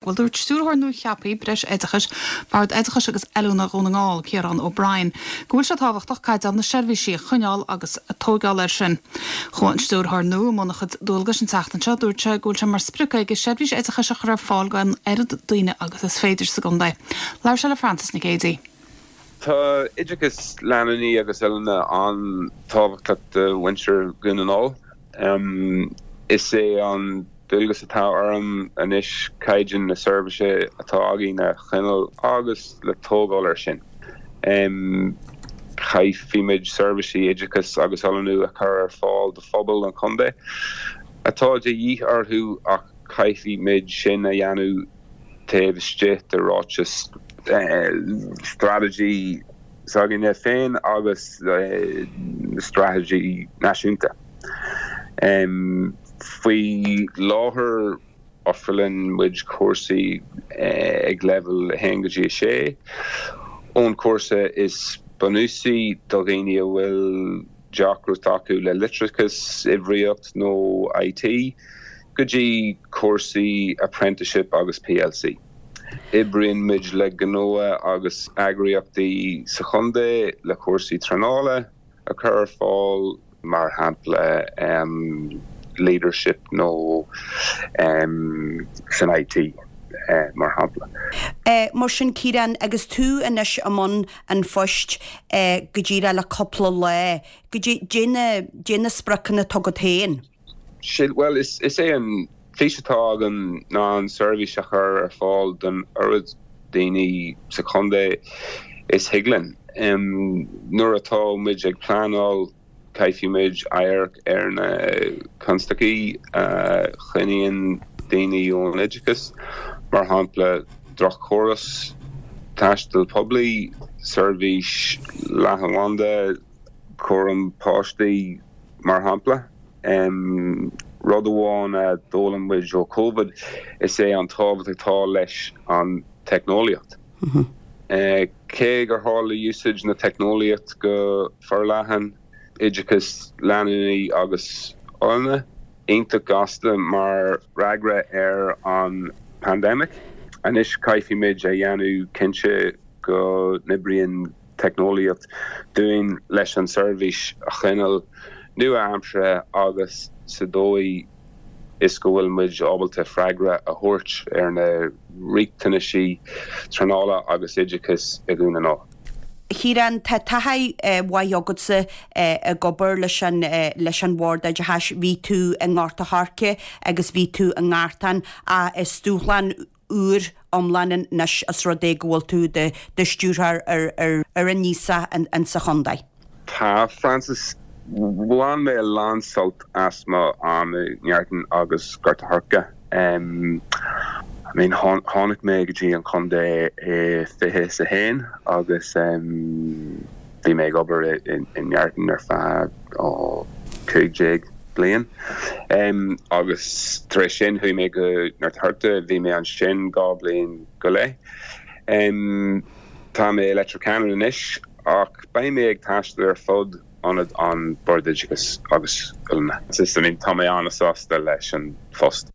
Bhuel, dúirt Stiúrthóir nua-cheaptha Breis Oideachais, Bhord Oideachais agus Oiliúna Dhún na nGall, Ciarán O'Brien, go bhfuil sé tábhachtach caighdeán na seirbhísí a choinneáil agus tóigeáil air sin. Chuaigh an Stiúrthóir nua i mbun a chuid dualgais an tseachtain seo. Dúirt sé go bhfuil sé mar sprioc aige seirbhís oideachais a chur ar fáil don oiread daoine agus is féidir sa gcontae. Labhair sé le Frances Nic Géadaigh. Tá oideachas leanúnaí agus oiliúna an-tábhachtach do mhuintir Dhún na nGall. Is é an dualgas atá orm anois caighdeán na seirbhíse atá againn a choinneáil agus le tógáil air sin. Caithfimid seirbhísí oideachais agus oiliúna a chur ar fáil do phobal an chontae atá de dhíth orthu ach caithfimid sin a dhéanamh taobh istigh de ráiteas straitéisí s'againne féin agus straitéisí náisiúnta. Faoi láthair ofrálann muid cúrsaí ag leibhéal 1 go dtí 6, ón chúrsa is bunúsaí do dhaoine a bhfuil deacracht acu le litreachas, uimhríocht nó IT, go dtí cúrsaí Apprenticeship agus PLC. Oibríonn muid le gnótha agus eagraíochtaí sa chontae le cúrsaí traenála a chur ar fáil, mar shampla leadership nó san IT mar shampla. Mar sin Ciarán, agus tú anois i mbun an phoist go díreach le cúpla lá, goidé na spriocanna atá agat féin? Bhuel, is é an fís atá agam ná an seirbhís a chur ar fáil don oiread daoine sa chontae is thig linn. Nuair atá muid ag pleanáil, caithfimid amharc ar na constaicí a choinníonn daoine ón oideachas, mar shampla droch-chóras taistil poiblí, seirbhís leathanbhanda, cúram páistí, mar shampla. Rud amháin a d'fhoghlaim muid ó Covid is ea an tábhacht atá leis an teicneolaíocht. Cé gur tharla úsáid na teicneolaíocht go forleathan, oideachas leanúnaí agus oiliúna, iontach gasta mar fhreagra ar an pandemic, anois caithfimid a dhéanamh cinnte go n-oibríonn teicneolaíocht dúinn leis an seirbhís a choinneáil nua-aimseartha agus sa dóigh is go bhfuil muid ábalta freagra a thabhairt ar na riachtanaisí traenála agus oideachais i Dhún na nGall. A Chiaráin, tá taithí mhaith agatsa ag obair leis an leis an Bhord Oideachais. Bhí tú i nGort a' Choirce agus bhí tú i nGartán ach is dúshlán úr iomlán anois os rud é go bhfuil tú i do stiúrthóir ar an nGíosach insa chontae. Tá, Frances. Bhain mé a lán sult as mo am i nGartán agus Gort a' Choirce. I mean, tháinig mé go dtí an chontae i 21 agus bhí mé ag obair i nGartán ar feadh 15 bliain. Agus tar éis sin chuaigh mé go nGort a' Choirce, bhí mé ansin 2 bliain go leith. Tá mé i Leitir Ceanainn anois ach beidh mé ag taisteal ar fud ionad an Bord Oideachais agus Oiliúna. I mean, tá mé an-sásta leis an phost.